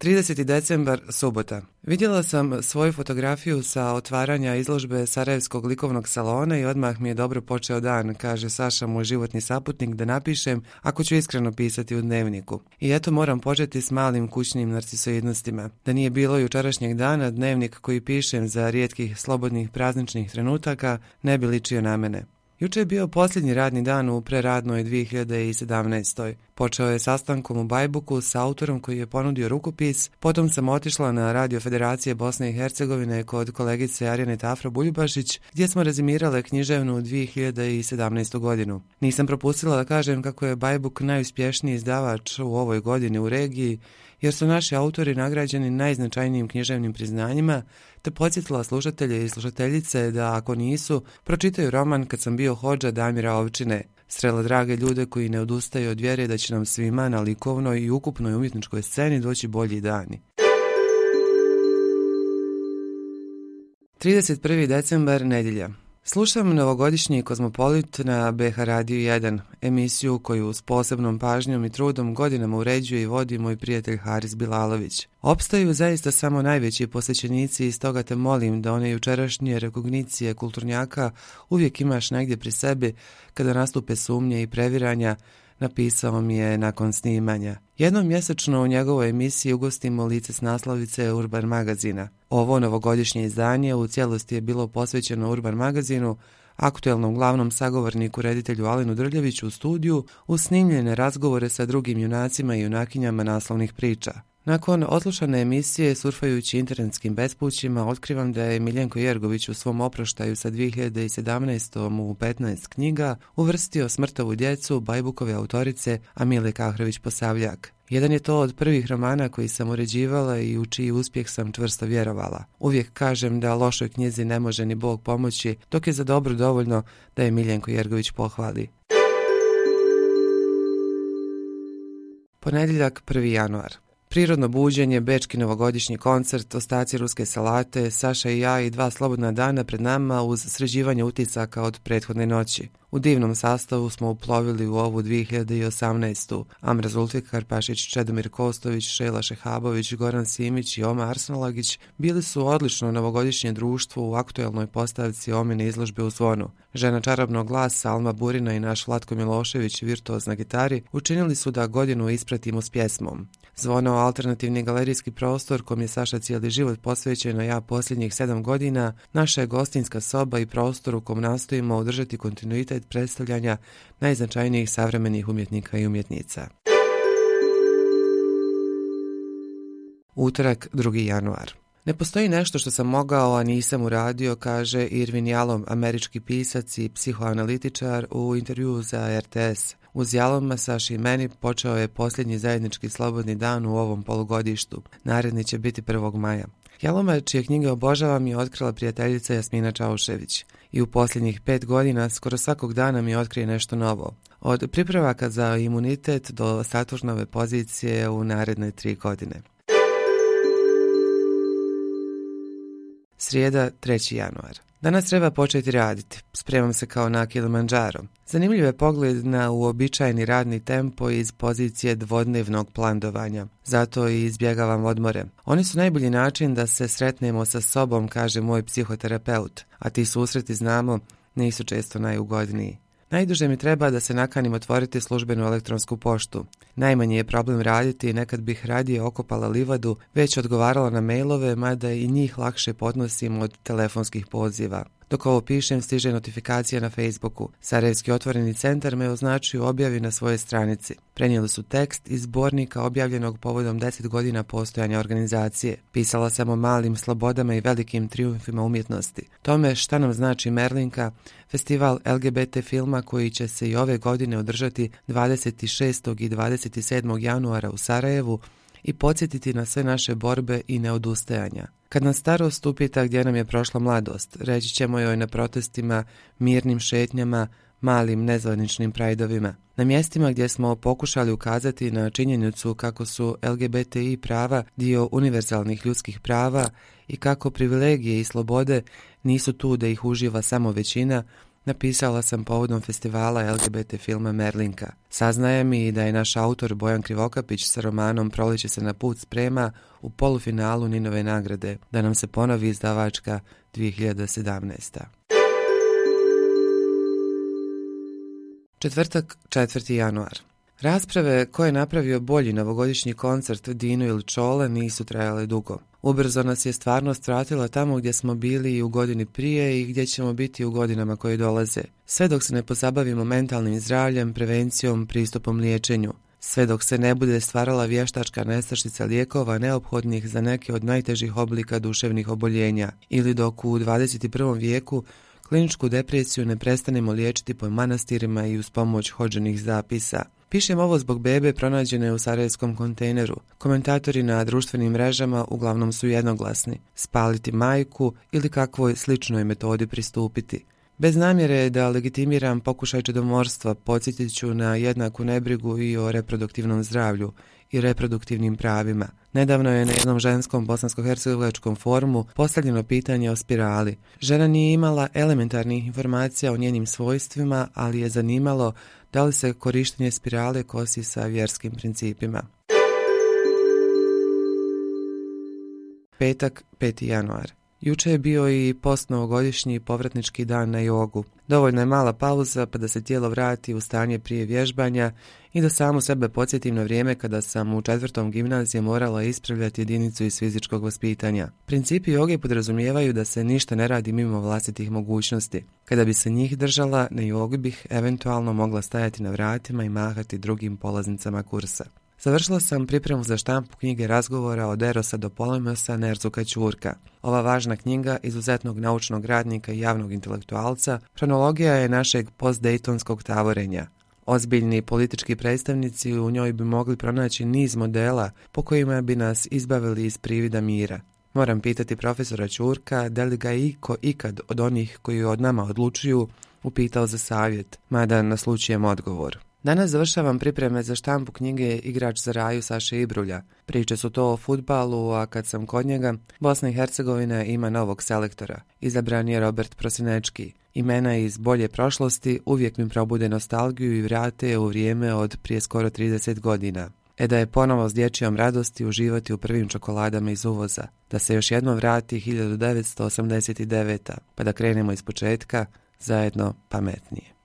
30. decembar, subota. Vidjela sam svoju fotografiju sa otvaranja izložbe Sarajevskog likovnog salona i odmah mi je dobro počeo dan, kaže Saša, moj životni saputnik, da napišem ako ću iskreno pisati u dnevniku. I eto moram početi s malim kućnim narcisoidnostima. Da nije bilo jučerašnjeg dana, dnevnik koji pišem za rijetkih slobodnih prazničnih trenutaka ne bi ličio na mene. Juče je bio posljednji radni dan u preradnoj 2017. Počeo je sastankom u Bajbuku s autorom koji je ponudio rukopis, potom sam otišla na Radio Federacije Bosne i Hercegovine kod kolegice Arjane Tafra-Buljubašić, gdje smo rezimirale književnu 2017. godinu. Nisam propustila da kažem kako je Bajbuk najuspješniji izdavač u ovoj godini u regiji, jer su naši autori nagrađeni najznačajnijim književnim priznanjima, te podsjetila slušatelje i slušateljice da ako nisu, pročitaju roman Kad sam bio hodža Damira Ovčine. Srela drage ljude koji ne odustaju od vjere da će nam svima na likovnoj i ukupnoj umjetničkoj sceni doći bolji dani. 31. decembar, nedjelja. Slušam novogodišnji Kozmopolit na BH Radio 1, emisiju koju s posebnom pažnjom i trudom godinama uređuje i vodi moj prijatelj Haris Bilalović. Opstaju zaista samo najveći posjećenici i stoga te molim da one jučerašnje rekognicije kulturnjaka uvijek imaš negdje pri sebi kada nastupe sumnje i previranja, napisao mi je nakon snimanja. Jednom mjesečno u njegovoj emisiji ugostimo lice s naslovice Urban magazina. Ovo novogodišnje izdanje u cijelosti je bilo posvećeno Urban magazinu, aktuelnom glavnom sagovorniku reditelju Alenu Drljeviću u studiju, uz snimljene razgovore sa drugim junacima i junakinjama naslovnih priča. Nakon odslušane emisije, surfajući internetskim bespućima, otkrivam da je Miljenko Jergović u svom oproštaju sa 2017. u 15 knjiga uvrstio Smrtovu djecu Bajbukove autorice Amile Kahrović-Posavljak. Jedan je to od prvih romana koji sam uređivala i u čiji uspjeh sam čvrsto vjerovala. Uvijek kažem da lošoj knjizi ne može ni Bog pomoći, dok je za dobro dovoljno da je Miljenko Jergović pohvali. Ponedjeljak, 1. januar. Prirodno buđenje, bečki novogodišnji koncert, ostaci ruske salate, Saša i ja i 2 slobodna dana pred nama uz sređivanje utisaka od prethodne noći. U divnom sastavu smo uplovili u ovu 2018. Amra Zulfikar, Pašić, Čedomir Kostović, Šela Šehabović, Goran Simić i Oma Arsenalagić bili su odlično novogodišnje društvo u aktuelnoj postavci Omine izložbe u Zvonu. Žena čarobnog glasa Alma Burina i naš Vlatko Milošević, virtuoz na gitari, učinili su da godinu ispratimo s pjesmom. Zvono, alternativni galerijski prostor kom je Saša cijeli život posvećen, a ja posljednjih 7 godina, naša je gostinska soba i prostor u kom nastojimo održati kontinuitet predstavljanja najznačajnijih savremenih umjetnika i umjetnica. Utorak, 2. januar. Ne postoji nešto što sam mogao, a nisam uradio, kaže Irvin Yalom, američki pisac i psihoanalitičar u intervjuu za RTS. Uz Yaloma, Saši i meni počeo je posljednji zajednički slobodni dan u ovom polugodištu. Naredni će biti 1. maja. Yaloma, čije knjige obožavam, je otkrila prijateljica Jasmina Čaušević. I u posljednjih 5 godina skoro svakog dana mi otkrije nešto novo. Od pripravaka za imunitet do Saturnove pozicije u naredne 3 godine. Srijeda, 3. januar. Danas treba početi raditi. Spremam se kao na Kilimandžaro. Zanimljiv je pogled na uobičajeni radni tempo iz pozicije dvodnevnog plandovanja. Zato i izbjegavam odmore. Oni su najbolji način da se sretnemo sa sobom, kaže moj psihoterapeut. A ti susreti, znamo, nisu često najugodniji. Najduže mi treba da se nakanim otvoriti službenu elektronsku poštu. Najmanji je problem raditi i nekad bih radije okopala livadu, već odgovarala na mailove, mada i njih lakše podnosim od telefonskih poziva. Dok ovo pišem, stiže notifikacija na Facebooku. Sarajevski otvoreni centar me označuju objavi na svojoj stranici. Prenijeli su tekst iz zbornika objavljenog povodom 10 godina postojanja organizacije. Pisala sam o malim slobodama i velikim trijumfima umjetnosti. Tome šta nam znači Merlinka, festival LGBT filma koji će se i ove godine održati 26. i 27. januara u Sarajevu i podsjetiti na sve naše borbe i neodustajanja. Kad nas starost upita gdje nam je prošla mladost, reći ćemo joj na protestima, mirnim šetnjama, malim nezvaničnim prajdovima. Na mjestima gdje smo pokušali ukazati na činjenicu kako su LGBTI prava dio univerzalnih ljudskih prava i kako privilegije i slobode nisu tu da ih uživa samo većina, napisala sam povodom festivala LGBT filma Merlinka. Saznajem i da je naš autor Bojan Krivokapić sa romanom Proleće se na put sprema u polufinalu Ninove nagrade, da nam se ponovi izdavačka 2017. Četvrtak, 4. januar. Rasprave ko je napravio bolji novogodišnji koncert Dino ili Čole nisu trajale dugo. Ubrzo nas je stvarnost vratila tamo gdje smo bili i u godini prije i gdje ćemo biti u godinama koje dolaze. Sve dok se ne pozabavimo mentalnim zdravljem, prevencijom, pristupom liječenju. Sve dok se ne bude stvarala vještačka nestašica lijekova neophodnih za neke od najtežih oblika duševnih oboljenja ili dok u 21. vijeku kliničku depresiju ne prestanemo liječiti po manastirima i uz pomoć hodženih zapisa. Pišem ovo zbog bebe pronađene u sarajevskom kontejneru. Komentatori na društvenim mrežama uglavnom su jednoglasni. Spaliti majku ili kakvoj sličnoj metodi pristupiti. Bez namjere da legitimiram pokušaj čedomorstva, podsjetit ću na jednaku nebrigu i o reproduktivnom zdravlju i reproduktivnim pravima. Nedavno je na jednom ženskom bosansko-hercegovačkom forumu postavljeno pitanje o spirali. Žena nije imala elementarnih informacija o njenim svojstvima, ali je zanimalo da li se korištenje spirale kosi sa vjerskim principima. Petak, 5. januar. Juče je bio i postnovogodišnji povratnički dan na jogu. Dovoljno je mala pauza pa da se tijelo vrati u stanje prije vježbanja i da samu sebe podsjetim na vrijeme kada sam u 4. gimnazije morala ispravljati jedinicu iz fizičkog vaspitanja. Principi joge podrazumijevaju da se ništa ne radi mimo vlastitih mogućnosti. Kada bi se njih držala, na jogi bih eventualno mogla stajati na vratima i mahati drugim polaznicama kursa. Završila sam pripremu za štampu knjige razgovora od Erosa do Polemosa Nerzuka Ćurka. Ova važna knjiga izuzetnog naučnog radnika i javnog intelektualca hronologija je našeg postdejtonskog tavorenja. Ozbiljni politički predstavnici u njoj bi mogli pronaći niz modela po kojima bi nas izbavili iz privida mira. Moram pitati profesora Ćurka da li ga iko ikad od onih koji od nama odlučuju upitao za savjet, mada naslučujem odgovor. Danas završavam pripreme za štampu knjige Igrač za raju Saše Ibrulja. Priče su to o fudbalu, a kad sam kod njega, Bosna i Hercegovina ima novog selektora. Izabran je Robert Prosinečki. Imena iz bolje prošlosti uvijek mi probude nostalgiju i vrate je u vrijeme od prije skoro 30 godina. Da je ponovo s dječjom radosti uživati u prvim čokoladama iz uvoza. Da se još jednom vrati 1989. pa da krenemo iz početka, zajedno pametnije.